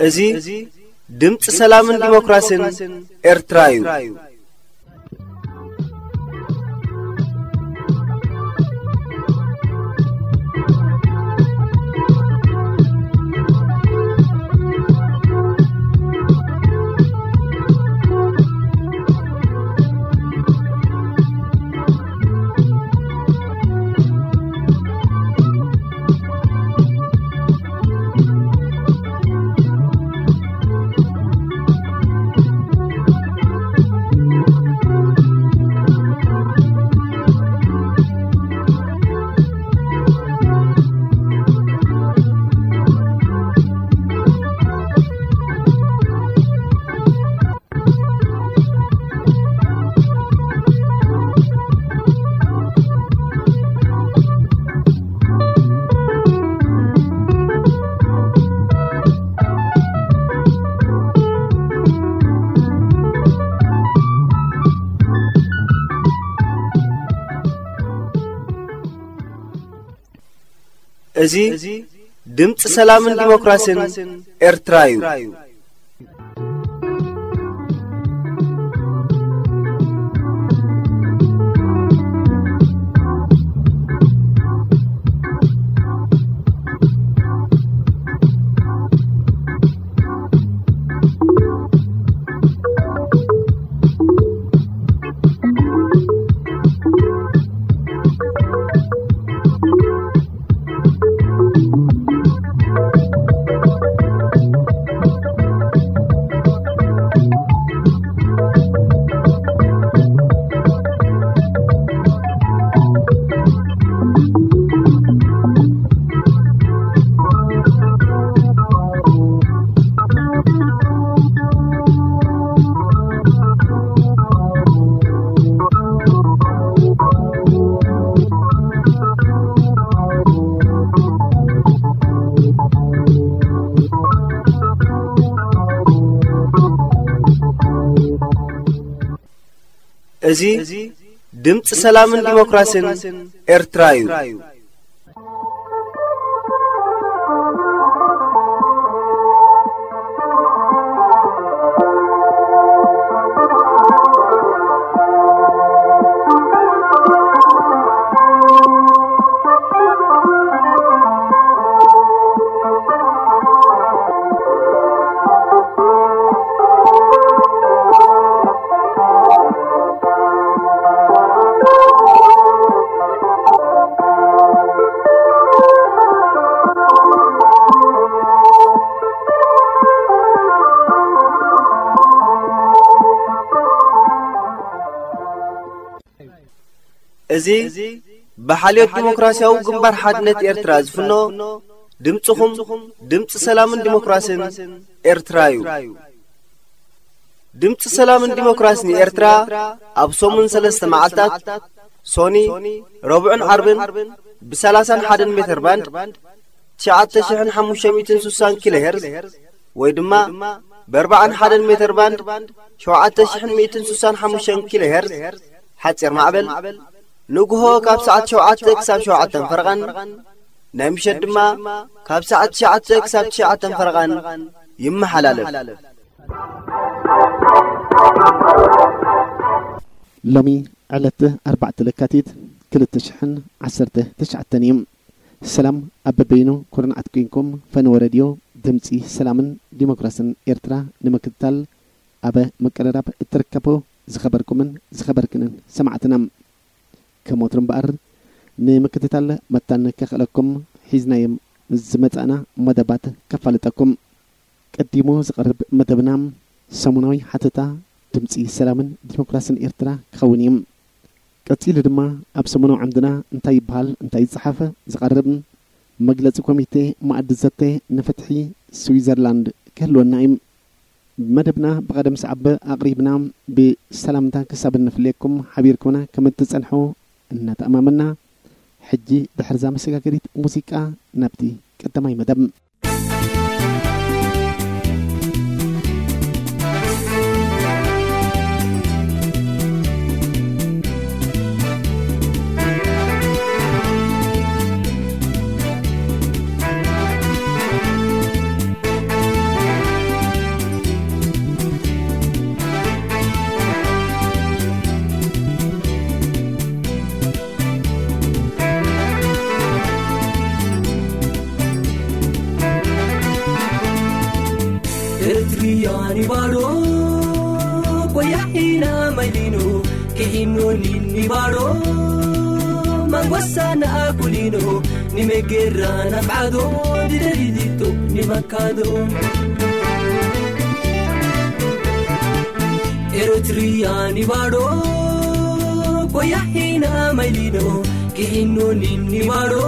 እዚ ድምፂ ሰላምን ዲሞክራሲን ኤርትራ እዩ። እዚ ድምፂ ሰላምን ዲሞክራሲን ኤርትራ እዩ። እዚ ድምፂ ሰላምን ዲሞክራሲን ኤርትራ እዩ። እዚ ብሓልዮት ዲሞክራሲያዊ ግንባር ሓድነት ኤርትራ ዝፍኖ ድምፅኹም ድምፂ ሰላምን ዲሞክራሲን ኤርትራ እዩ። ድምፂ ሰላምን ዲሞክራሲን ኤርትራ ኣብ ሰሙን ሰለስተ መዓልታት ሶኒ፣ ረቡዕን ዓርብን ብ30ን ሓደን ሜተር ባንድ ትሽዓተ ሽሕን ሓሙሽተ ሚእትን ስሳን ኪሎ ሄርዝ ወይ ድማ ብ ኣርባዓን ሓደን ሜተር ባንድ ሸውዓተ ሽሕን ሚእትን ስሳን ሓሙሽተን ኪሎ ሄርዝ ሓፂር ማዕበል ንግሆ ካብ ሰዓት ሸውዓተ ክሳብ ሸውዓተን ፈረቓን ናይ ምሸት ድማ ካብ ሰዓት ትሽዓተ ክሳብ ትሽዓተን ፈረቓን ይመሓላለፍ። ሎሚ ዕለት ኣርባዕተ ለካቲት ክልተ ሽሕን ዓሰርተ ትሽዓተን እዩ። ሰላም ኣብ በበይኑ ኩርናዓት ኮይንኩም ፈነወ ሬድዮ ድምፂ ሰላምን ዲሞክራስን ኤርትራ ንምክትታል ኣብ ምቅርራብ እትርከቡ ዝኸበርኩምን ዝኸበርክንን ሰማዕትና፣ ከም ወትሩ እምበኣር ንምክትታል መታን ከኽእለኩም ሒዝናዮም ዝመጻእና መደባት ከፋልጠኩም። ቀዲሙ ዝቐርብ መደብና ሰሙናዊ ሓተታ ድምፂ ሰላምን ዲሞክራስን ኤርትራ ክኸውን እዩ። ቀጺሉ ድማ ኣብ ሰሙናዊ ዓምድና እንታይ ይበሃል፣ እንታይ ይጸሓፍ ዝቐርብ መግለጺ ኮሚቴ መኣዲ ዘተ ንፍትሒ ስዊዘርላንድ ክህልወና እዩ። መደብና ብቐደም ሰዓብ ኣቕሪብና ብሰላምታ ክሳብ እንፍለየኩም ሓቢርኩምና ከም እትጸንሑ እናተኣማመና፣ ሕጂ ድሕርዛ መሰጋገሪት ሙዚቃ ናብቲ ቀዳማይ መደብ። Eritrea ni baro, koya hina mailino, kihino ni ni baro, mangwasa na kulino, ni megera na fado, di de di di to, ni makado. Eritrea ni baro, koya hina mailino, kihino ni ni baro,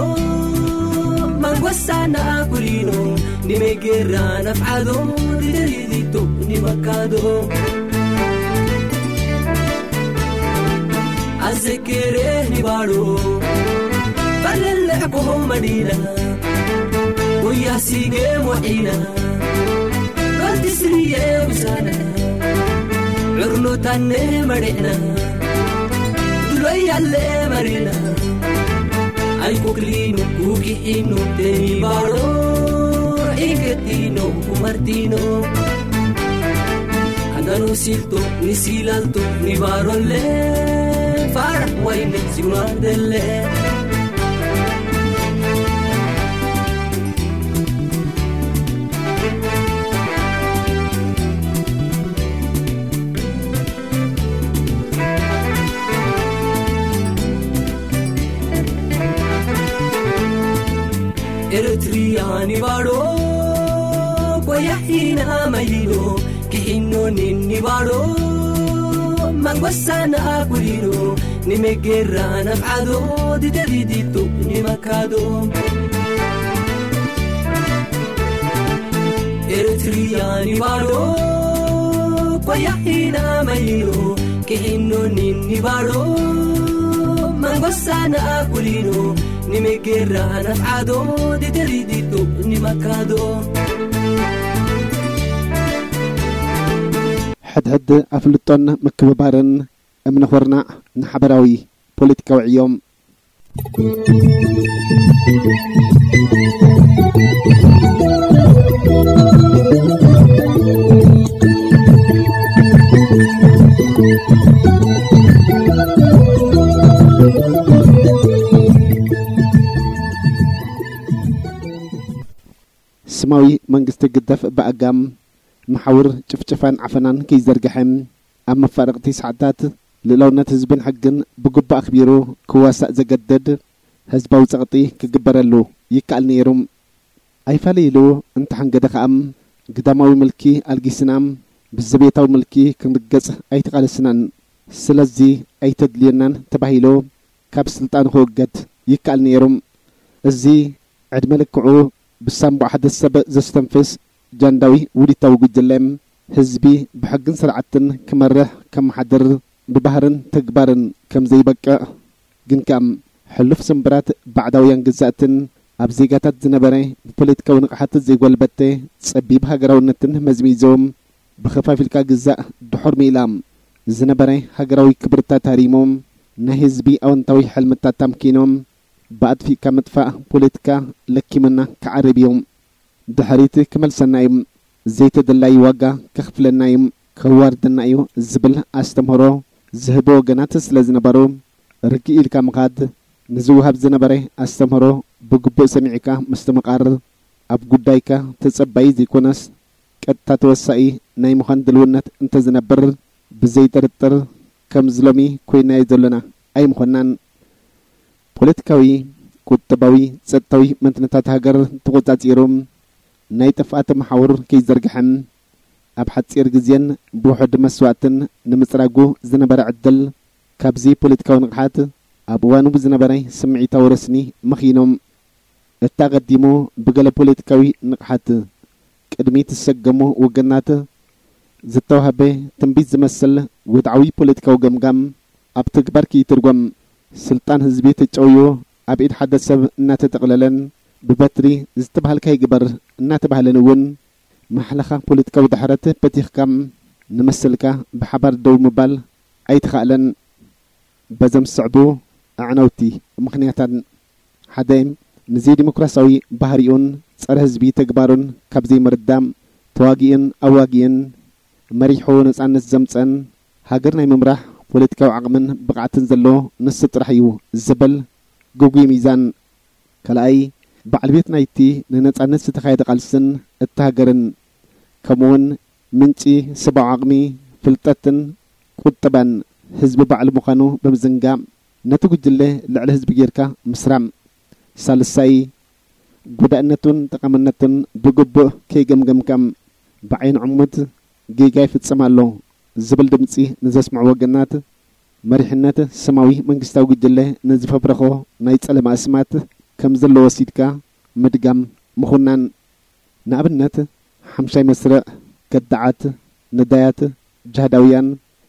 mangwasa na kulino, ni megera na fado, di de di di to, ni makado. Azekere ni baro, balele ko madina, koya sige mo ina. Kalti sriye usana, urno tanne madina. Dulo yalle marina. Ay kuklino, kuki ino, teni baro. Iketino, kumartino. Andano silto, ni silalto, ni barolle. Farah wayne, siwandelle. Eritrea ni baro, koya hina mailino, kihino ni ni baro, mangwasa na kulino, ni megera na fado, di de di di to, ni makado. Eritrea ni baro, koya hina mailino, kihino ni ni baro, mangwasa na kulino, ni megera na fado, di de di di to, ni makado. ሕድሕድ ኣፍልጦን ምክብባርን እምነ ኹርናዕ ንሓበራዊ ፖለቲካዊ ዕዮም። ስማዊ መንግስቲ ግደፍ ብኣጋም መሓውር ጭፍጨፋን ዓፈናን ከይዘርግሐ፣ ኣብ መፋርቕቲ ሰዓታት ልእላውነት ህዝብን ሕግን ብግቡእ ኣኽቢሩ ክዋሳእ ዘገድድ ህዝባዊ ጸቕጢ ክግበረሉ ይከኣል ነይሩ። ኣይፋለ ኢሉ እንተሓንገደ ከኣ፣ ግዳማዊ ምልኪ ኣልጊስና ብዘቤታዊ ምልኪ ክንርገጽ ኣይተቓለስናን። ስለዚ ኣይተድልየናን ተባሂሉ ካብ ስልጣኑ ክውገድ ይከኣል ነይሩ። እዚ ዕድመ ልክዑ ብሳንቡእ ሓደ ሰብ ዘስተንፍስ ጃንዳዊ ውዲታዊ ጉጅለ፣ ህዝቢ ብሕግን ስርዓትን ክመርሕ፣ ከመሓድር፣ ብባህርን ተግባርን ከም ዘይበቅዕ፣ ግን ከኣ ሕሉፍ ስምብራት ባዕዳውያን ግዛእትን ኣብ ዜጋታት ዝነበረ ብፖለቲካዊ ንቕሓት ዘይጎልበተ ጸቢብ ሃገራውነትን መዝሚዞም፣ ብኸፋፊልካ ግዛእ ድሑር ሜላ ዝነበረ ሃገራዊ ክብርታት ሃሪሞም፣ ናይ ህዝቢ ኣወንታዊ ሕልምታት ኣምኪኖም፣ ብኣጥፊእካ ምጥፋእ ፖለቲካ ለኪምና ክዓርብ እዩ። ድሕሪት ክመልሰና እዩ። ዘይተደላይ ዋጋ ከኽፍለና እዩ፣ ከዋርደና እዩ ዝብል ኣስተምህሮ ዝህቡ ወገናት ስለ ዝነበሩ፣ ርግእ ኢልካ ምኻድ፣ ንዝወሃብ ዝነበረ ኣስተምህሮ ብግቡእ ሰሚዕካ ምስትምቓር ኣብ ጉዳይካ ተጸባዪ ዘይኮነስ ቀጥታ ተወሳኢ ናይ ምዃን ድልውነት እንተዝነብር፣ ብዘይጥርጥር ከምዚ ሎሚ ኮይናዮ ዘሎና ኣይምኾናን። ፖለቲካዊ፣ ቁጠባዊ፣ ጸጥታዊ መንትነታት ሃገር ተቖጻጺሩ ናይ ጥፍኣት መሓውር ከይዘርግሐን ኣብ ሓጺር ግዜን ብውሑድ መስዋእትን ንምጽራጉ ዝነበረ ዕድል፣ ካብዚ ፖለቲካዊ ንቕሓት ኣብ እዋኑ ብዝነበረ ስምዒታዊ ረስኒ መኺኖም። እቲ ኣቐዲሙ ብገለ ፖለቲካዊ ንቕሓት ቅድሚ ትሰገሙ ወገናት ዝተዋህበ ትንቢት ዝመስል ወድዓዊ ፖለቲካዊ ገምጋም ኣብ ተግባር ከይትርጎም፣ ስልጣን ህዝቢ ተጨውዩ ኣብ ኢድ ሓደ ሰብ እናተጠቕለለን ብበትሪ ዝተባሃልካ ይግበር እናተባህለን እውን ማሕለኻ ፖለቲካዊ ድሕረት በቲኽካ ንመሰልካ ብሓባር ደው ምባል ኣይተኻእለን። በዘም ዝስዕቡ ኣዕነውቲ ምኽንያታት፣ ሓደ፣ ንዘይዲሞክራሲያዊ ባህሪኡን ጸረ ህዝቢ ተግባሩን ካብ ዘይምርዳእ፣ ተዋጊኡን ኣዋጊኡን መሪሑ ነጻነት ዘምጸን ሃገር ናይ ምምራሕ ፖለቲካዊ ዓቕምን ብቕዓትን ዘሎ ንሱ ጥራሕ እዩ ዝብል ግጉይ ሚዛን። ካልኣይ፣ በዓል ቤት ናይቲ ንነጻነት ዝተኻየደ ቃልስን እታ ሃገርን፣ ከምኡውን ምንጪ ሰብኣዊ ዓቕሚ፣ ፍልጠትን ቁጠባን ህዝቢ ባዕሉ ምዃኑ ብምዝንጋዕ፣ ነቲ ጉጅለ ልዕሊ ህዝቢ ጌርካ ምስራም። ሳልሳይ፣ ጎዳእነቱን ጠቓምነቱን ብግቡእ ከይገምገምካ፣ ብዓይኒ ዕሙት ጌጋ ይፍጽም ኣሎ ዝብል ድምጺ ንዘስምዑ ወገናት፣ መሪሕነት ስማዊ መንግስታዊ ጉጅለ ንዝፈብረኾ ናይ ጸለማ ኣስማት ከም ዘሎ ወሲድካ ምድጋም ምኹናን። ንኣብነት፣ ሓምሻይ መስርዕ፣ ከዳዓት፣ ነዳያት፣ ጅሃዳውያን፣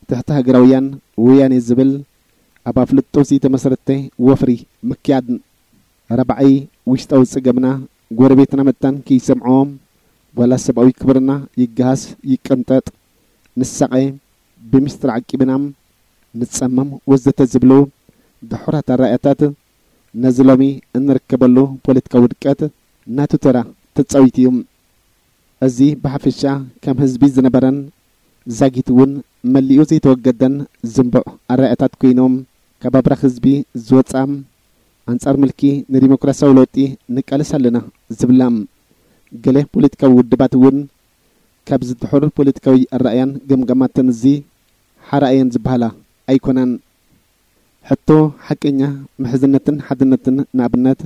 ትሕቲ ሃገራውያን፣ ወያኔ ዝብል ኣብ ኣፍልጦ ዝተመሰረተ ወፍሪ ምክያድ። ራብዓይ፣ ውሽጣዊ ጸገምና ጎረቤትና መታን ከይሰምዖ፣ ዋላ ሰብኣዊ ክብርና ይገሃስ ይቀንጠጥ፣ ንሳቐ፣ ብሚስጥር ዓቂብና ንጸመም ወዘተ ዝብሉ ድሑራት ኣረኣእያታት ነዚ ሎሚ እንርከበሉ ፖለቲካዊ ውድቀት ናቱ ተራ ተጻዊቱ እዩ። እዚ ብሓፈሻ ከም ህዝቢ ዝነበረን ዛጊት እውን መሊኡ ዘይተወገደን ዝንቡዕ ኣረኣእያታት ኮይኖም፣ ካብ ኣብራኽ ህዝቢ ዝወጻ፣ ኣንጻር ምልኪ ንዲሞክራሲያዊ ለውጢ ንቃለስ ኣለና ዝብላ ገለ ፖለቲካዊ ውድባት እውን ካብዚ ድሑር ፖለቲካዊ ኣረኣእያን ገምጋማትን እዚ ሓራ እየን ዝበሃላ ኣይኮናን። ሕቶ ሓቀኛ ምሕዝነትን ሓድነትን ንኣብነት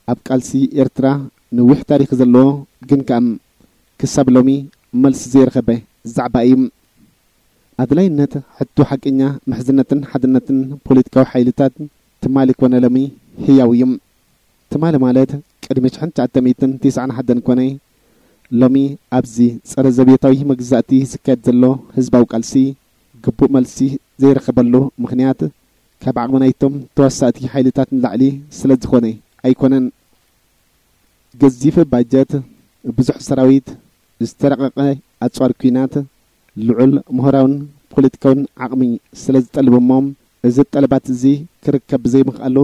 ኣብ ቃልሲ ኤርትራ ነዊሕ ታሪኽ ዘለዎ ግን ከኣ ክሳብ ሎሚ መልሲ ዘይረኸበ ዛዕባ እዩ። ኣድላይነት ሕቶ ሓቀኛ ምሕዝነትን ሓድነትን ፖለቲካዊ ሓይልታት ትማሊ ኮነ ሎሚ ህያው እዩ። ትማሊ ማለት ቅድሚ ሽሕን ትሽዓተ ሚእትን ተስዓን ሓደን ኮነ ሎሚ ኣብዚ ጸረ ዘቤታዊ መግዛእቲ ዝካየድ ዘሎ ህዝባዊ ቃልሲ ግቡእ መልሲ ዘይረኸበሉ ምኽንያት ካብ ዓቕሚ ናይቶም ተዋሳእቲ ሓይልታት ንላዕሊ ስለ ዝኾነ ኣይኮነን። ገዚፍ ባጀት፣ ብዙሕ ሰራዊት፣ ዝተረቐቐ ኣጽዋር ኲናት፣ ልዑል ምሁራውን ፖለቲካውን ዓቕሚ ስለ ዝጠልብ እሞ፣ እዚ ጠለባት እዚ ክርከብ ብዘይምኽኣሉ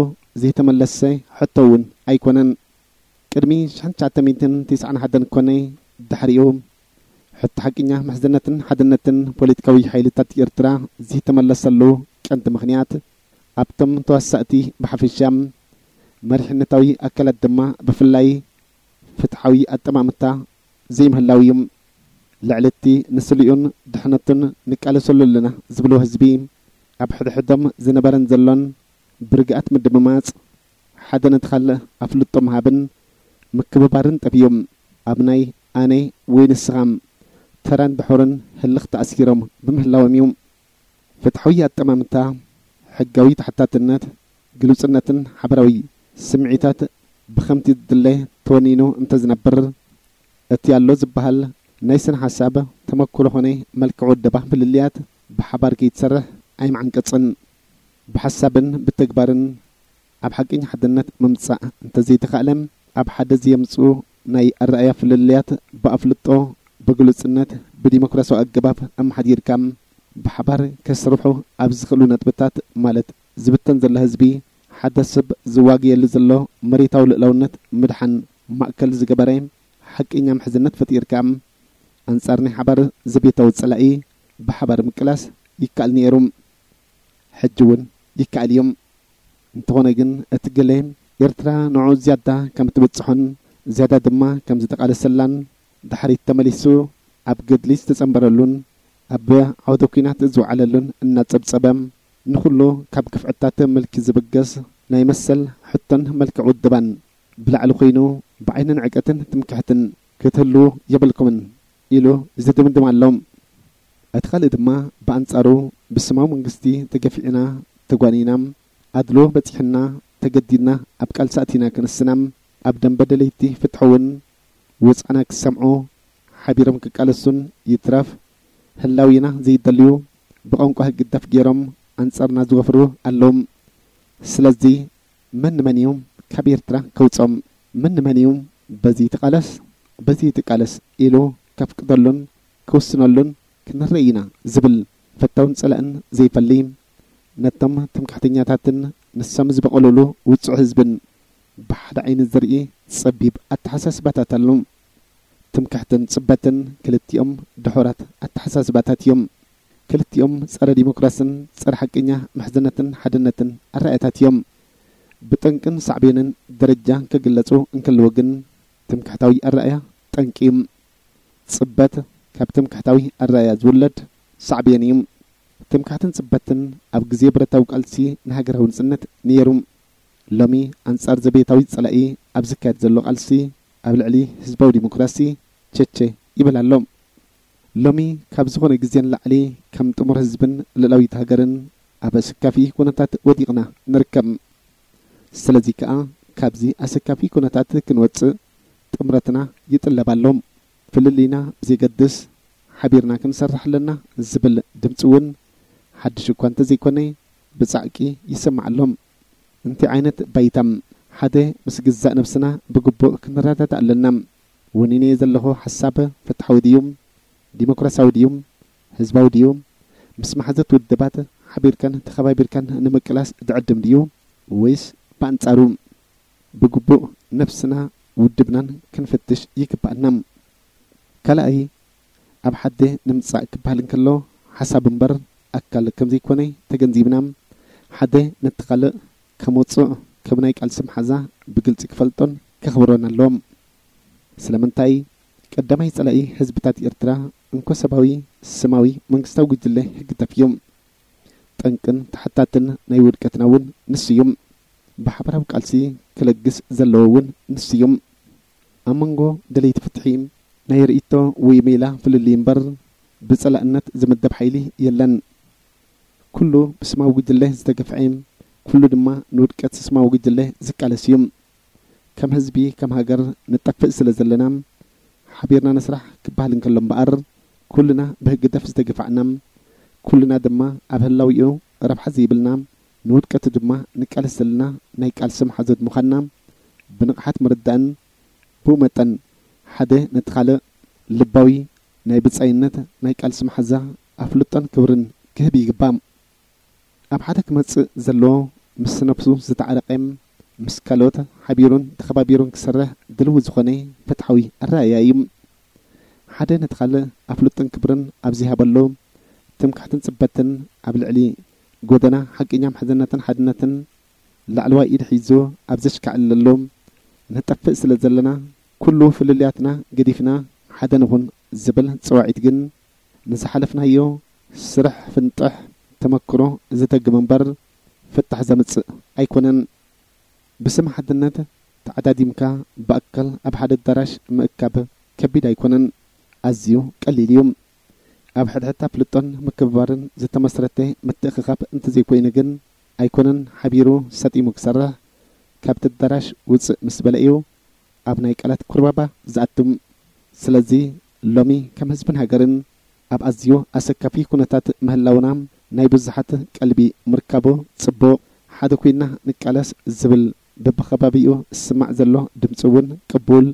ዘይተመለሰ ሕቶ እውን ኣይኮነን። ቅድሚ ሽሕን ትሽዓተ ሚእትን ተስዓን ሓደን ኮነ ድሕሪኡ፣ ሕቶ ሓቅኛ ምሕዝነትን ሓድነትን ፖለቲካዊ ሓይልታት ኤርትራ ዘይተመለሰሉ ቀንዲ ምኽንያት፣ ኣብቶም ተዋሳእቲ ብሓፈሻ፣ መሪሕነታዊ ኣካላት ድማ ብፍላይ ፍትሓዊ ኣጠማምታ ዘይምህላው እዩ። ልዕሊ እቲ ንስልኡን ድሕነቱን ንቃለሰሉ ኣለና ዝብሎ ህዝቢ፣ ኣብ ሕድሕዶም ዝነበረን ዘሎን ብርግኣት ምድምማጽ፣ ሓደ ነቲ ካልእ ኣፍልጦ ምሃብን ምክብባርን ጠፊኡ፣ ኣብ ናይ ኣነ ወይ ንስኻ ተራን ድሑርን ህልኽ ተኣሲሮም ብምህላዎም እዩ። ፍትሓዊ ኣጠማምታ፣ ሕጋዊ ተሓታትነት፣ ግሉጽነትን ሓባራዊ ስምዒታት ብኸምቲ ዝድለ ተወኒኑ እንተዝነብር፣ እቲ ኣሎ ዝበሃል ናይ ስነ ሓሳብ፣ ተመክሮ ኾነ መልክዕ ውደባ ፍልልያት ብሓባር ከይትሰርሕ ኣይምዓንቀጽን። ብሓሳብን ብተግባርን ኣብ ሓቀኛ ሓድነት ምምጻእ እንተዘይተኻእለ፣ ኣብ ሓደ ዘየምጽኡ ናይ ኣረኣእያ ፍልልያት ብኣፍልጦ፣ ብግሉጽነት፣ ብዲሞክራሲያዊ ኣገባብ ኣመሓዲርካ ብሓባር ከስርሑ ኣብ ዝኽእሉ ነጥብታት፣ ማለት ዝብተን ዘሎ ህዝቢ፣ ሓደ ሰብ ዝዋገየሉ ዘሎ መሬታዊ ልእላውነት ምድሓን ማእከል ዝገበረ ሓቀኛ ምሕዝነት ፈጢርካ፣ ኣንጻር ናይ ሓባር ዘቤታዊ ጸላኢ ብሓባር ምቅላስ ይከኣል ነይሩ። ሕጂ እውን ይከኣል እዩ። እንተኾነ ግን፣ እቲ ገለ ኤርትራ ንዑ ዝያዳ ከም ትብጽሖን ዝያዳ ድማ ከም ዝተቓለሰላን ድሕሪት ተመሊሱ ኣብ ገድሊ ዝተጸንበረሉን ኣብ ዓውደ ኲናት ዝወዓለሉን እናጸብጸበ፣ ንኹሉ ካብ ግፍዕታት ምልኪ ዝብገስ ናይ መሰል ሕቶን መልክዕ ውድባን ብላዕሊ ኮይኑ፣ ብዓይኒ ንዕቀትን ትምክሕትን ክትህሉ የብልኩምን ኢሉ ዝድምድም ኣሎ። እቲ ካልእ ድማ ብኣንጻሩ ብስማዊ መንግስቲ ተገፊዕና፣ ተጓኒና፣ ኣድሎ በጺሕና፣ ተገዲድና ኣብ ቃልሲ ኣቲና ክንስና፣ ኣብ ደንበ ደለይቲ ፍትሒ እውን ወጽዓና ክሰምዑ ሓቢሮም ክቃለሱን ይትረፍ ህላዊና ዘይደልዩ ብቋንቋ ህግደፍ ገይሮም ኣንጻርና ዝወፍሩ ኣለዉ። ስለዚ መን ንመን እዩ ካብ ኤርትራ ከውጾም? መን ንመን እዩ በዚ ትቃለስ በዚ ትቃለስ ኢሉ ከፍቅደሉን ክውስነሉን ክንርኢ ኢና ዝብል ፈታውን ጸላእን ዘይፈሊ፣ ነቶም ትምክሕተኛታትን ንሶም ዝበቐሉሉ ውጹዕ ህዝብን ብሓደ ዓይኒ ዝርኢ ጸቢብ ኣተሓሳስባታት ኣሎ። ትምክሕትን ጽበትን ክልቲኦም ድሑራት ኣተሓሳስባታት እዮም። ክልቲኦም ጸረ ዲሞክራስን ጸረ ሓቀኛ ምሕዝነትን ሓድነትን ኣረኣእያታት እዮም። ብጠንቅን ሳዕቤንን ደረጃ ክግለጹ እንከለዉ ግን ትምክሕታዊ ኣረኣእያ ጠንቂ እዩ። ጽበት ካብ ትምክሕታዊ ኣረኣእያ ዝውለድ ሳዕቤን እዩ። ትምክሕትን ጽበትን ኣብ ግዜ ብረታዊ ቃልሲ ንሃገራዊ ንጽነት ነይሩ። ሎሚ ኣንጻር ዘቤታዊ ጸላኢ ኣብ ዝካየድ ዘሎ ቃልሲ ኣብ ልዕሊ ህዝባዊ ዲሞክራሲ ቸቸ ይብል ኣሎ። ሎሚ ካብ ዝኾነ ግዜ ንላዕሊ ከም ጥሙር ህዝብን ልዕላዊት ሃገርን ኣብ ኣሰካፊ ኩነታት ወዲቕና ንርከብ። ስለዚ ከኣ ካብዚ ኣሰካፊ ኩነታት ክንወጽእ ጥምረትና ይጥለብ ኣሎ። ፍልልይና ብዘይገድስ ሓቢርና ክንሰርሕ ኣለና ዝብል ድምጺ እውን ሓድሽ እኳ እንተዘይኮነ ብጻዕቂ ይስማዕ ኣሎ። እንታይ ዓይነት ባይታ? ሓደ፣ ምስ ግዛእ ነብስና ብግቡእ ክንረዳዳእ ኣለና። ወኒነዮ ዘለኹ ሓሳብ ፍትሓዊ ድዩ? ዲሞክራሲያዊ ድዩ? ህዝባዊ ድዩ? ምስ መሓዘት ውድባት ሓቢርካን ተኸባቢርካን ንምቅላስ ዝዕድም ድዩ? ወይስ ብኣንጻሩ? ብግቡእ ነብስና ውድብናን ክንፍትሽ ይግባኣና። ካልኣይ፣ ኣብ ሓደ ንምጻእ ክበሃል እንከሎ ሓሳብ እምበር ኣካል ከም ዘይኮነ ተገንዚብና፣ ሓደ ነቲ ካልእ ከም ውጹዕ፣ ከም ናይ ቃልሲ መሓዛ ብግልጺ ክፈልጦን ከኽብሮን ኣለዎ። ስለምንታይ? ቀዳማይ ጸላኢ ህዝብታት ኤርትራ እንኮ ሰባዊ፣ ስማዊ፣ መንግስታዊ ጉጅለ ህግደፍ እዩ። ጠንቅን ተሓታትን ናይ ውድቀትና እውን ንሱ እዩ። ብሓባራዊ ቃልሲ ክለግስ ዘለዎ እውን ንሱ እዩ። ኣብ መንጎ ደለይቲ ፍትሒ ናይ ርእይቶ ወይ ሜላ ፍልልይ እምበር ብጸላእነት ዝምደብ ሓይሊ የለን። ኩሉ ብስማዊ ጉጅለ ዝተገፍዐ፣ ኩሉ ድማ ንውድቀት ስማዊ ጉጅለ ዝቃለስ እዩ። ከም ህዝቢ፣ ከም ሃገር ንጠፍእ ስለ ዘለና፣ ሓቢርና ንስራሕ ክበሃል እንከሎ እምበኣር፣ ኩልና ብህግደፍ ዝተገፋዕና፣ ኩልና ድማ ኣብ ህላዊኡ ረብሓ ዘይብልና፣ ንውድቀቱ ድማ ንቃለስ ዘለና ናይ ቃልሲ መሓዙት ምዃንና ብንቕሓት ምርዳእን፣ ብኡ መጠን ሓደ ነቲ ካልእ ልባዊ ናይ ብጻይነት ናይ ቃልሲ መሓዛ ኣፍልጦን ክብርን ክህብ ይግባእ። ኣብ ሓደ ክመጽእ ዘለዎ ምስ ነብሱ ዝተዓረቐ፣ ምስ ካልኦት ሓቢሩን ተኸባቢሩን ክሰርሕ ድልዊ ዝኾነ ፍትሓዊ ኣረኣእያ እዩ። ሓደ ነቲ ካልእ ኣፍልጦን ክብርን ኣብ ዘይሃበሉ፣ ትምክሕትን ጽበትን ኣብ ልዕሊ ጎደና ሓቀኛ ምሕዝነትን ሓድነትን ላዕለዋይ ኢድ ሒዙ ኣብ ዘሽካዕለሉ፣ ንጠፍእ ስለ ዘለና፣ ኩሉ ፍልልያትና ገዲፍና ሓደ ንኹን ዝብል ጸዋዒት ግን፣ ንዝሓለፍናዮ ስርሕ ፍንጥሕ ተመክሮ ዝደግም እምበር፣ ፍታሕ ዘምጽእ ኣይኮነን። ብስም ሓድነት ተዓዳዲምካ ብኣካል ኣብ ሓደ ኣዳራሽ ምእካብ ከቢድ ኣይኮነን፣ ኣዝዩ ቀሊል እዩ። ኣብ ሕድሕድ ኣፍልጦን ምክብባርን ዝተመስረተ ምትእኽኻብ እንተዘይኮይኑ ግን ኣይኮነን ሓቢሩ ሰጢሙ ክሰርሕ፣ ካብቲ ኣዳራሽ ውጽእ ምስ በለ እዩ ኣብ ናይ ቃላት ኩርባባ ዝኣቱ። ስለዚ ሎሚ ከም ህዝብን ሃገርን ኣብ ኣዝዩ ኣሰካፊ ኩነታት ምህላውና ናይ ብዙሓት ቀልቢ ምርካቡ ጽቡቕ። ሓደ ኮይና ንቃለስ ዝብል በብኸባቢኡ ዝስማዕ ዘሎ ድምጺ እውን ቅቡል።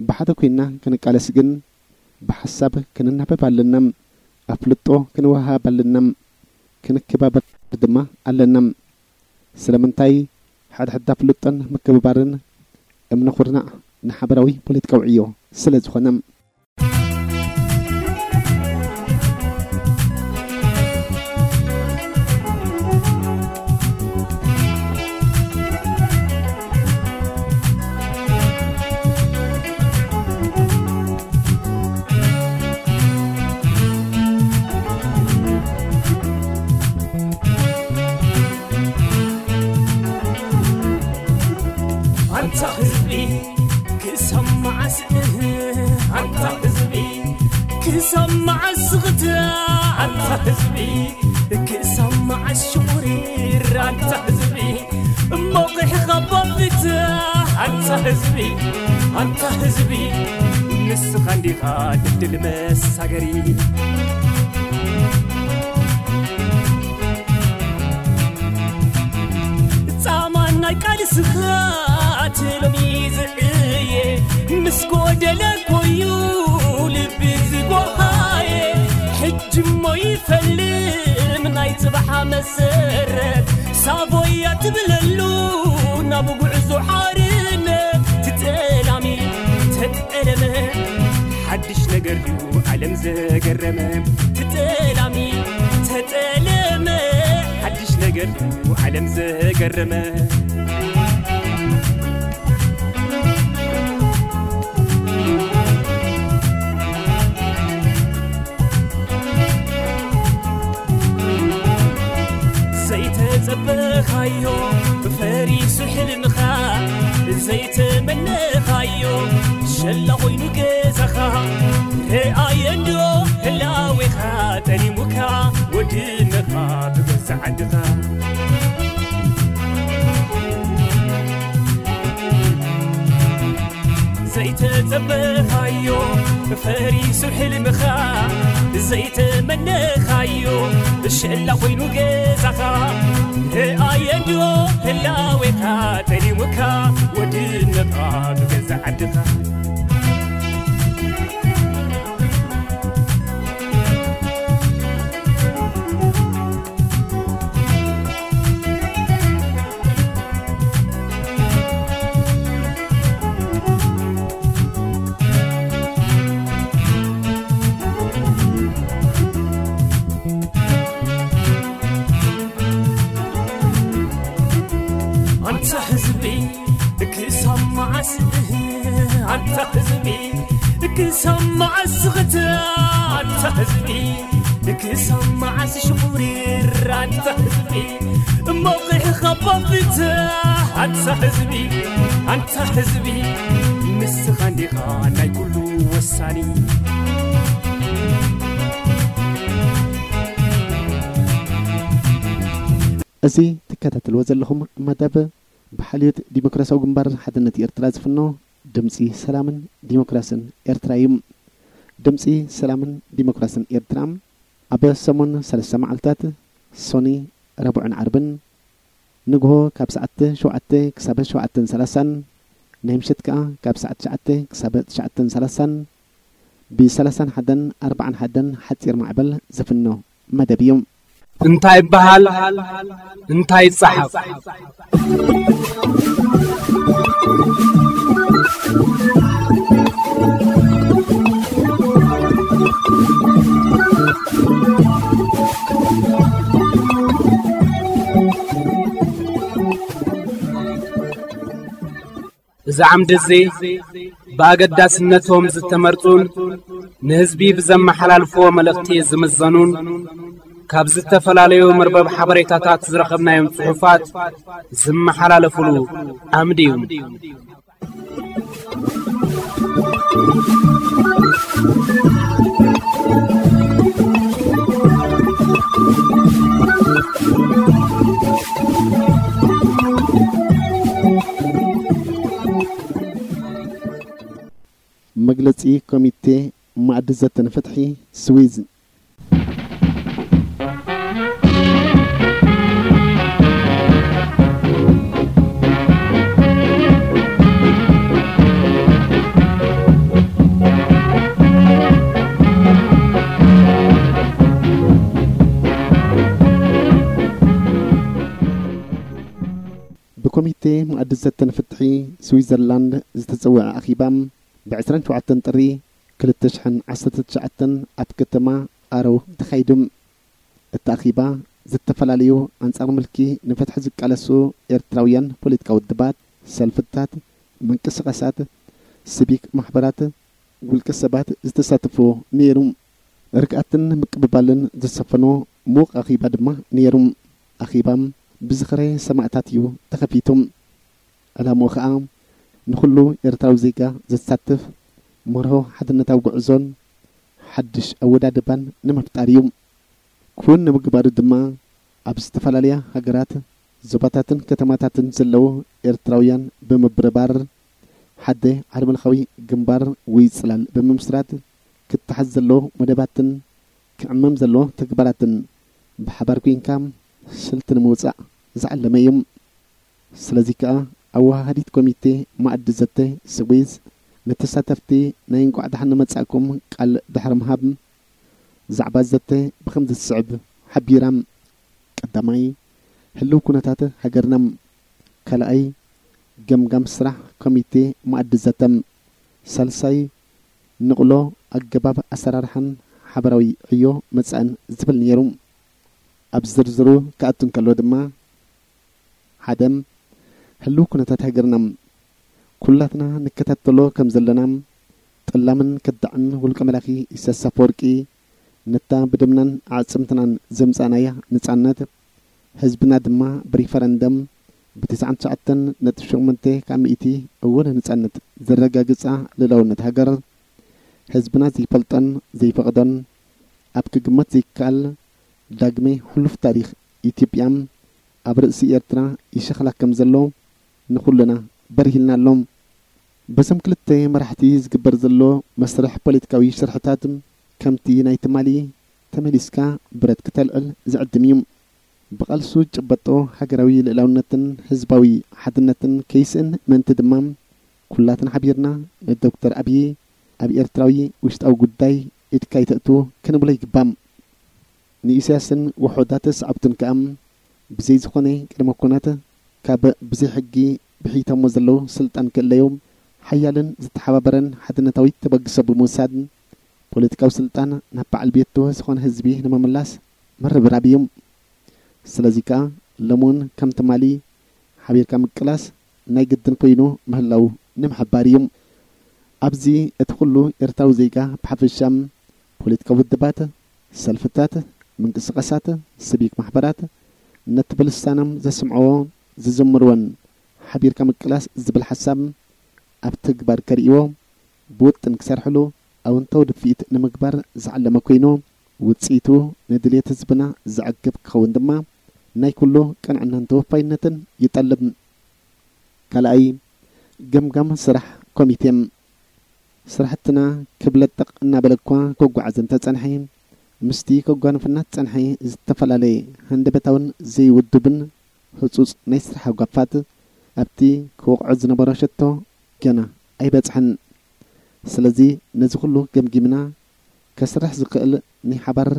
ብሓደ ኮይና ክንቃለስ ግን ብሓሳብ ክንናበብ ኣለና፣ ኣፍልጦ ክንወሃብ ኣለና፣ ክንከባበር ድማ ኣለና። ስለምንታይ? ሕድሕድ ኣፍልጦን ምክብባርን እምነ ኩርናዕ ንሓበራዊ ፖለቲካዊ ዕዮ ስለ ዝኾነ። ሰማዕ ስኽታ ኣንታ ህዝቢ፣ ክሰማዕ ሽቑሪር ኣንታ ህዝቢ፣ እሞ ቂሕኻ ባብታ ኣንታ ህዝቢ፣ ኣንታ ህዝቢ፣ ንስኻ እንዲኻ ድልድል መሳገሪ። ጻማ ናይ ቃልስኻ ትሎሚ ዝዕየ፣ ምስ ጎደለ ኮዩ ልቢ ዝጎሃየ። ሕጂ እሞ ይፈልም ናይ ጽባሕ መሰረት፣ ሳቦያ ትብለሉ ናብ ጉዕዞ ሓርነት። ትጠላሚ ተጠለመ፣ ሓድሽ ነገር ድዩ ዓለም ዘገረመ? ትጠላሚ ተጠለመ፣ ሓድሽ ነገር ድዩ ዓለም ዘገረመ? ዘይተጸበኻዮ ፈሪሱ ሕልምኻ፣ ዘይተመነኻዮ ሸላ ኮይኑ ገዛኻ። ረኣየ እንዶ ህላዌኻ ጠሊሙካ፣ ወድነኻ ብገዛ ዓድኻ። ዘይተጸበኻዮ ፈሪሱ ሕልምኻ፣ ዘይተመነኻዮ ሸላ ኮይኑ ገዛኻ። ረኣየ እንዶ ህላዌኻ ጠሊሙካ፣ ወድነኻ ብገዛ ዓድኻ። ኣንታ ህዝቢ ክሳብ መዓስ፣ ኣንታ ህዝቢ ክሳብ መዓስ ዝኽተ፣ ኣንታ ህዝቢ ክሳብ መዓስ ሽቑሪር፣ ኣንታ ህዝቢ እሞ ቂሕኻ ባብታ፣ ኣንታ ህዝቢ፣ ኣንታ ህዝቢ ንስኻ እንዲኻ ናይ ኩሉ ወሳኒ። እዚ ትከታተልዎ ዘለኹም መደብ ብሓልዮት ዲሞክራሲያዊ ግንባር ሓድነት ኤርትራ ዝፍኖ ድምጺ ሰላምን ዲሞክራስን ኤርትራ እዩ። ድምጺ ሰላምን ዲሞክራስን ኤርትራ ኣብ ሰሙን ሰለስተ መዓልታት፣ ሶኒ፣ ረቡዕን ዓርብን፣ ንግሆ ካብ ሰዓት ሸውዓተ ክሳብ ሸውዓተን ሰላሳን፣ ናይ ምሸት ከኣ ካብ ሰዓት ትሽዓተ ክሳብ ትሽዓተን ሰላሳን፣ ብ ሰላሳን ሓደን ኣርባዓን ሓደን ሓጺር ማዕበል ዝፍኖ መደብ እዩ። እንታይ ይበሃል? እንታይ ይጸሓፍ? እዚ ዓምዲ እዚ ብኣገዳስነቶም ዝተመርጹን ንህዝቢ ብዘመሓላልፍዎ መልእኽቲ ዝምዘኑን ካብ ዝተፈላለዩ መርበብ ሓበሬታታት ዝረኸብናዮም ጽሑፋት ዝመሓላለፉሉ ዓምዲ እዩ። መግለጺ ኮሚቴ ማእዲ ዘተ ንፍትሒ ስዊዝ። ብኮሚቴ መኣዲ ዘተን ፍትሒ ስዊዘርላንድ ዝተጸውዐ ኣኺባ፣ ብ ዕስራን ሸውዓተን ጥሪ ክልተ ሽሕን ዓሰርተ ትሽዓተን ኣብ ከተማ ኣረው ተኻይዱ። እቲ ኣኺባ፣ ዝተፈላለዩ ኣንጻር ምልኪ ንፍትሒ ዝቃለሱ ኤርትራውያን ፖለቲካዊ ውድባት፣ ሰልፍታት፣ ምንቅስቓሳት፣ ሲቪክ ማሕበራት፣ ውልቀ ሰባት ዝተሳተፍዎ ነይሩ። ርግኣትን ምቅብባልን ዝሰፈኖ ምዉቕ ኣኺባ ድማ ነይሩ። ኣኺባ ብዝኽረ ሰማእታት እዩ ተኸፊቱ። ዕላምኡ ኸኣ ንኹሉ ኤርትራዊ ዜጋ ዘሳትፍ መርሆ ሓድነታዊ ጉዕዞን ሓድሽ ኣወዳድባን ንምፍጣር እዩ። ክውን ንምግባሩ ድማ ኣብ ዝተፈላለያ ሃገራት፣ ዞባታትን ከተማታትን ዘለዉ ኤርትራውያን ብምብርባር፣ ሓደ ዓለምለኻዊ ግንባር ወይ ጽላል ብምምስራት፣ ክተሓዝ ዘለዎ መደባትን ክዕመም ዘለዎ ተግባራትን ብሓባር ኮይንካ ስልቲ ንምውጻእ ዝዓለመ እዩ። ስለዚ ከኣ ኣወሃሃዲት ኮሚቴ ማእዲ ዘተ ስዊዝ ንተሳተፍቲ ናይ እንቋዕ ደሓን መጻእኩም ቃል ድሕሪ ምሃብ፣ ዛዕባ ዘተ ብኸምዚ ዝስዕብ ሓቢራ። ቀዳማይ፣ ህልው ኩነታት ሃገርና። ካልኣይ፣ ገምጋም ስራሕ ኮሚቴ ማእዲ ዘተ። ሳልሳይ፣ ንቕሎ ኣገባብ ኣሰራርሓን ሓበራዊ ዕዮ መጻእን ዝብል ነይሩ። ኣብ ዝርዝሩ ክኣቱ እንከሎ ድማ፣ ሓደ፣ ህልው ኩነታት ሃገርና። ኩላትና ንከታተሎ ከም ዘለና፣ ጠላምን ከዳዕን ውልቀ መላኺ ኢሳያስ ኣፈወርቂ፣ ነታ ብደምናን ኣዕጽምትናን ዘምጻእናያ ነጻነት፣ ህዝብና ድማ ብሪፈረንደም ብ ትስዓን ትሽዓተን ነጥቢ ሸሞንተ ካብ ሚእቲ እውን ነጻነት ዘረጋግጻ ልእላውነት ሃገር፣ ህዝብና ዘይፈልጦን ዘይፈቕዶን፣ ኣብ ክግመት ዘይከኣል ዳግመ ሕሉፍ ታሪኽ ኢትዮጵያ ኣብ ርእሲ ኤርትራ ይሸኽላ ከም ዘሎ ንኹልና በሪህልና ኣሎ። በዞም ክልተ መራሕቲ ዝግበር ዘሎ መስርሕ ፖለቲካዊ ሽርሕታት፣ ከምቲ ናይ ትማሊ፣ ተመሊስካ ብረት ክተልዕል ዝዕድም እዩ። ብቓልሱ ጭበጦ ሃገራዊ ልእላውነትን ህዝባዊ ሓድነትን ከይስእን ምእንቲ ድማ፣ ኩላትና ሓቢርና ንዶክተር ኣብዪ ኣብ ኤርትራዊ ውሽጣዊ ጉዳይ ኢድካ ይተእቱ ክንብሎ ይግባእ። ንኢሳያስን ውሑዳት ሰዓብቱን ከኣ ብዘይ ዝኾነ ቅድመ ኩነት፣ ካብ ብዘይ ሕጊ ብሒቶሞ ዘለዉ ስልጣን ክእለዩ፣ ሓያልን ዝተሓባበረን ሓድነታዊ ተበግሶ ብምውሳድ፣ ፖለቲካዊ ስልጣን ናብ በዓል ቤቱ ዝኾነ ህዝቢ ንምምላስ ምርብራብ እዩ። ስለዚ ከኣ፣ ሎሚ እውን ከም ትማሊ ሓቢርካ ምቅላስ ናይ ግድን ኮይኑ ምህላው ንምሕባር እዩ። ኣብዚ እቲ ኩሉ ኤርትራዊ ዜጋ ብሓፈሻ፣ ፖለቲካዊ ውድባት፣ ሰልፍታት፣ ምንቅስቃሳት፣ ሲቪክ ማሕበራት፣ ነቲ ብልሳኖም ዘስምዕዎ፣ ዝዝምርዎን ሓቢርካ ምቅላስ ዝብል ሓሳብ ኣብ ተግባር ከርእይዎ፣ ብውጥን ክሰርሕሉ፣ ኣወንታዊ ድፍኢት ንምግባር ዝዓለመ ኮይኑ፣ ውጽኢቱ ንድልየት ህዝብና ዘዕግብ ክኸውን ድማ ናይ ኩሉ ቅንዕናን ተወፋይነትን ይጠልብ። ካልኣይ፣ ገምጋም ስራሕ ኮሚቴ። ስራሕትና ክብለጠቕ እናበለ እኳ ክጓዓዝ እንተጸንሐ፣ ምስቲ ከጓንፈና ዝጸንሐ ዝተፈላለየ ሃንደበታውን ዘይውዱብን ህጹጽ ናይ ስራሕ ጓፋት ኣብቲ ክወቕዖ ዝነበሮ ሸቶ ገና ኣይበጽሐን። ስለዚ ነዚ ኩሉ ገምጊምና ከስርሕ ዝኽእል ናይ ሓባር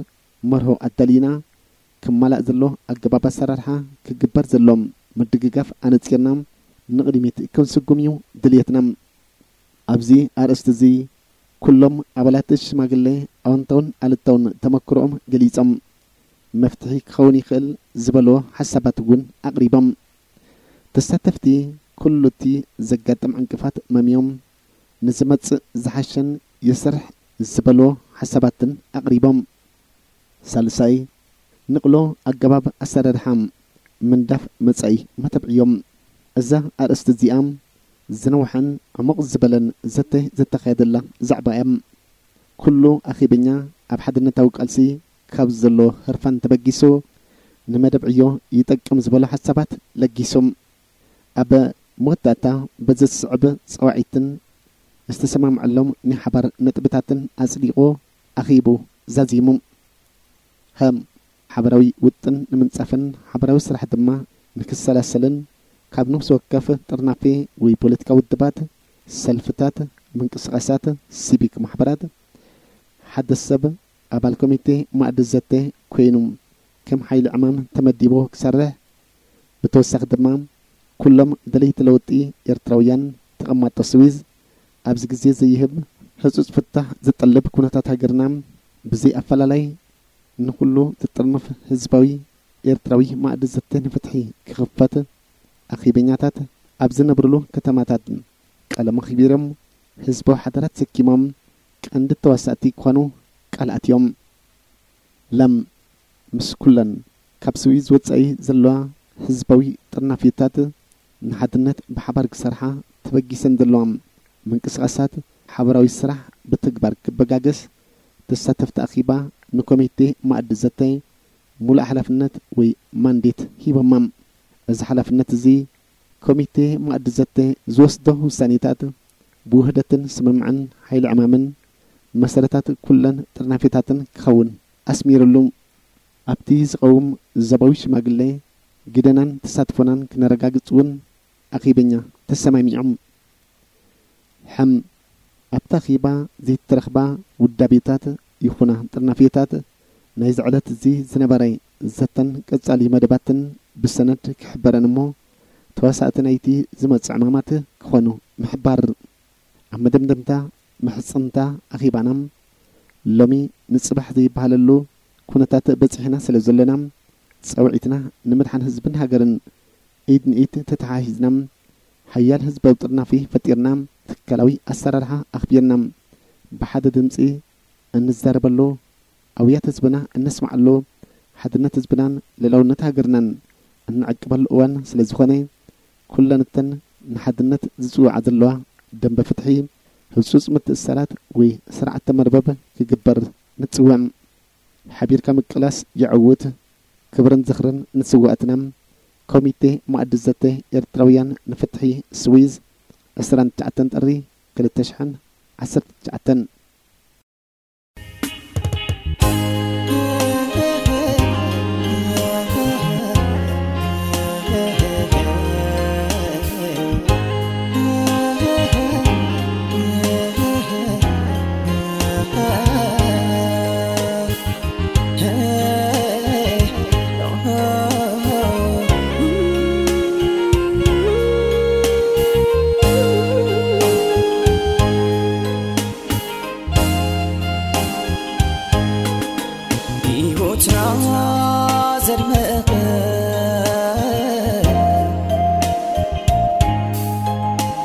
መርሆ ኣዳሊና፣ ክማላእ ዘሎ ኣገባብ ኣሰራርሓ፣ ክግበር ዘሎ ምድግጋፍ ኣነጺርና ንቕድሚት ክንስጉም እዩ ድልየትና። ኣብዚ ኣርእስቲ እዚ ኩሎም ኣባላት ሽማግለ ኣወንታውን ኣሉታውን ተመክሮኦም ገሊጾም፣ መፍትሒ ክኸውን ይኽእል ዝበልዎ ሓሳባት እውን ኣቕሪቦም። ተሳተፍቲ ኩሉ እቲ ዘጋጥም ዕንቅፋት መምዮም፣ ንዝመጽእ ዝሓሸን ይስራሕ ዝበልዎ ሓሳባትን ኣቕሪቦም። ሳልሳይ፣ ንቕሎ ኣገባብ ኣሰራርሓ ምንዳፍ መጻኢ መተብዕዮም። እዛ ኣርእስቲ እዚኣ ዝነውሐን ዕሙቕ ዝበለን ዘተ ዝተኻየደላ ዛዕባ እያ። ኩሉ ኣኼበኛ ኣብ ሓድነታዊ ቃልሲ ካብ ዘሎ ህርፋን ተበጊሱ፣ ንመደብ ዕዮ ይጠቅም ዝበሎ ሓሳባት ለጊሱ። ኣብ መወዳእታ በዚ ዝስዕብ ጸዋዒትን ዝተሰማምዐሎም ናይ ሓባር ነጥብታትን ኣጽዲቑ ኣኺቡ ዛዚሙ። ሃ፣ ሓባራዊ ውጥን ንምንጻፍን ሓባራዊ ስራሕ ድማ ንክሰላሰልን፣ ካብ ነፍሲ ወከፍ ጥርናፌ ወይ ፖለቲካዊ ውድባት፣ ሰልፍታት፣ ምንቅስቓሳት፣ ሲቪክ ማሕበራት፣ ሓደ ሰብ ኣባል ኮሚቴ ማእዲ ዘተ ኮይኑ ከም ሓይሊ ዕማም ተመዲቡ ክሰርሕ፣ ብተወሳኺ ድማ ኩሎም ደለይቲ ለውጢ ኤርትራውያን ተቐማጦ ስዊዝ ኣብዚ ግዜ ዘይህብ ህጹጽ ፍታሕ ዝጠልብ ኩነታት ሃገርና ብዘይ ኣፈላላይ ንኹሉ ዝጥርንፍ ህዝባዊ ኤርትራዊ ማእዲ ዘተ ንፍትሒ ክኽፈት፣ ኣኼበኛታት ኣብ ዝነብርሉ ከተማታት ቀለም ኣኽቢሮም፣ ህዝባዊ ሓደራ ተሰኪሞም ቀንዲ ተዋሳእቲ ክኾኑ ቃል ኣትዮም። ለም፣ ምስ ኩለን ካብ ስዊዝ ወጻኢ ዘለዋ ህዝባዊ ጥርናፊታት ንሓድነት ብሓባር ክሰርሓ ተበጊሰን ዘለዋ ምንቅስቓሳት፣ ሓባራዊ ስራሕ ብተግባር ክበጋገስ፣ ተሳተፍቲ ኣኺባ ንኮሚቴ ማእዲ ዘተ ሙሉእ ሓላፍነት ወይ ማንዴት ሂቦማ። እዚ ሓላፍነት እዚ ኮሚቴ ማእዲ ዘተ ዝወስዶ ውሳኔታት ብውህደትን ስምምዕን ሓይሊ ዕማምን መሰረታት ኩለን ጥርናፌታትን ክኸውን ኣስሚርሉ። ኣብቲ ዝቐውም ዞባዊ ሽማግሌ ግደናን ተሳትፎናን ክነረጋግጽ እውን ኣኺበኛ ተሰማሚዖም። ሕም ኣብታ ኺባ ዘይተረኽባ ውዳቤታት ይኹና ጥርናፌታት ናይዚ ዕለት እዚ ዝነበረ ዘተን ቀጻሊ መደባትን ብሰነድ ክሕበረን እሞ ተዋሳእቲ ናይቲ ዝመጽእ ዕማማት ክኾኑ ምሕባር። ኣብ መደምደምታ ምሕጽንታ ኣኺባና ሎሚ ንጽባሕ ዘይበሃለሉ ኩነታት በጺሕና ስለ ዘለና ጸውዒትና ንምድሓን ህዝብን ሃገርን ኢድ ንኢድ ተተሓሒዝና ሓያል ህዝባዊ ጥርናፊ ፈጢርና ትካላዊ ኣሰራርሓ ኣኽቢርና ብሓደ ድምጺ እንዛረበሉ ኣውያት ህዝብና እነስምዓሉ ሓድነት ህዝብናን ልዕላውነት ሃገርናን እንዕቅበሉ እዋን ስለ ዝኾነ ኩለን እተን ንሓድነት ዝጽውዓ ዘለዋ ደንበ ፍትሒ ህጹጽ ምትእስሳራት ወይ ስርዓተ መርበብ ክግበር ንጽውዕ። ሓቢርካ ምቅላስ የዕውት። ክብርን ዝኽርን ንስዋእትና። ኮሚቴ መኣዲ ዘተ ኤርትራውያን ንፍትሒ ስዊዝ ዕስራን ትሽዓተን ጥሪ ክልተ ሽሕን ዓሰርተ ትሽዓተን። ህይወትና ዘድመቐ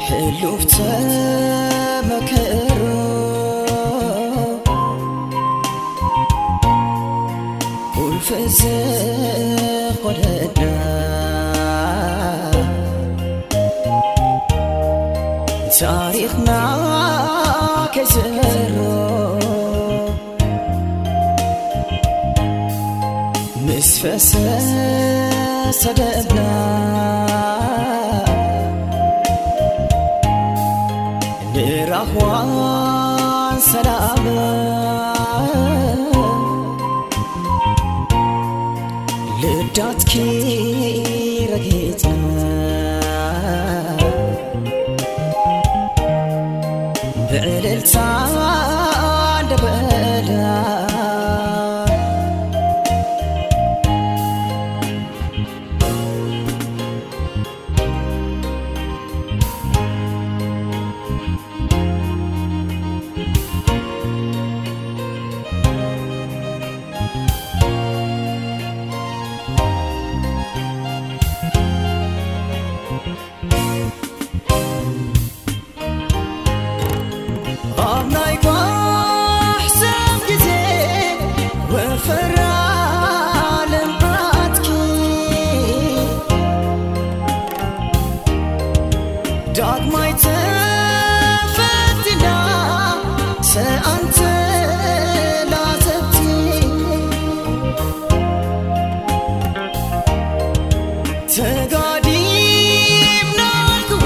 ሕሉፍ ተመክሮ ቁልፊ ዝኾነና ታሪኽና ከይዝሮ ምስ ፈሰሰ ደምና ንራህዋን ሰላም ልዳትኪ ረጊጽና ብዕልልታ እንደበላ ኣብ ናይ ጓሕ ሰብ ግዜ ወፈራ ልምዓትኪ ዳግማይ ተፈቲና ሰኣንተ ላዘብቲ ተጋዲምናልክወ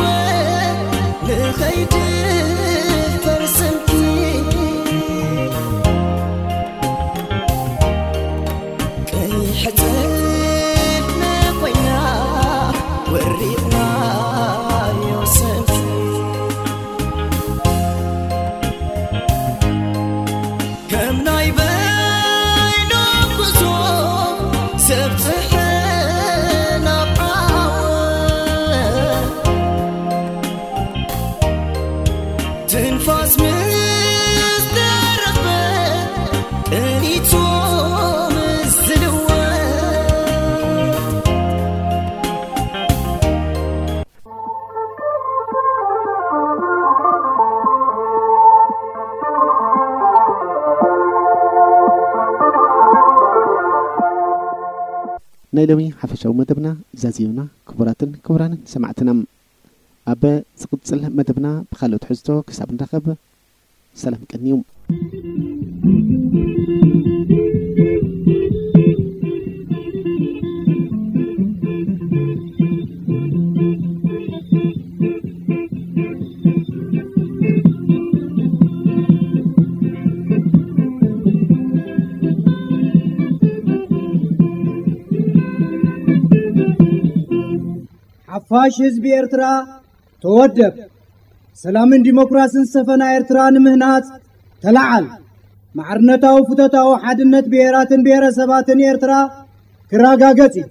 ንኸይድ ፈርስምኪ ቀይሕ ጽልመ ኮይና ወሪቕናዮ ሰልፊ ከም ናይ በይኖም ጉዞ ዘብጽሐ ናብ ዓወት ትንፋስ ምስ ተረኽበ ቅኒቱ ምስ ዝልወጥ ናይ ሎሚ ሓፈሻዊ መደብና ዛዚምና። ክቡራትን ክቡራንን ሰማዕትና፣ ኣብ ዝቕጽል መደብና ብኻልኦት ትሕዝቶ ክሳብ ንራኸብ ሰላም ቀንዩ። ሓፋሽ ህዝቢ ኤርትራ ተወደብ። ሰላምን ዲሞክራስን ዝሰፈና ኤርትራ ንምህናጽ ተለዓል። ማዕርነታዊ ፍቶታዊ ሓድነት ብሄራትን ብሄረሰባትን ኤርትራ ክረጋገጽ እዩ።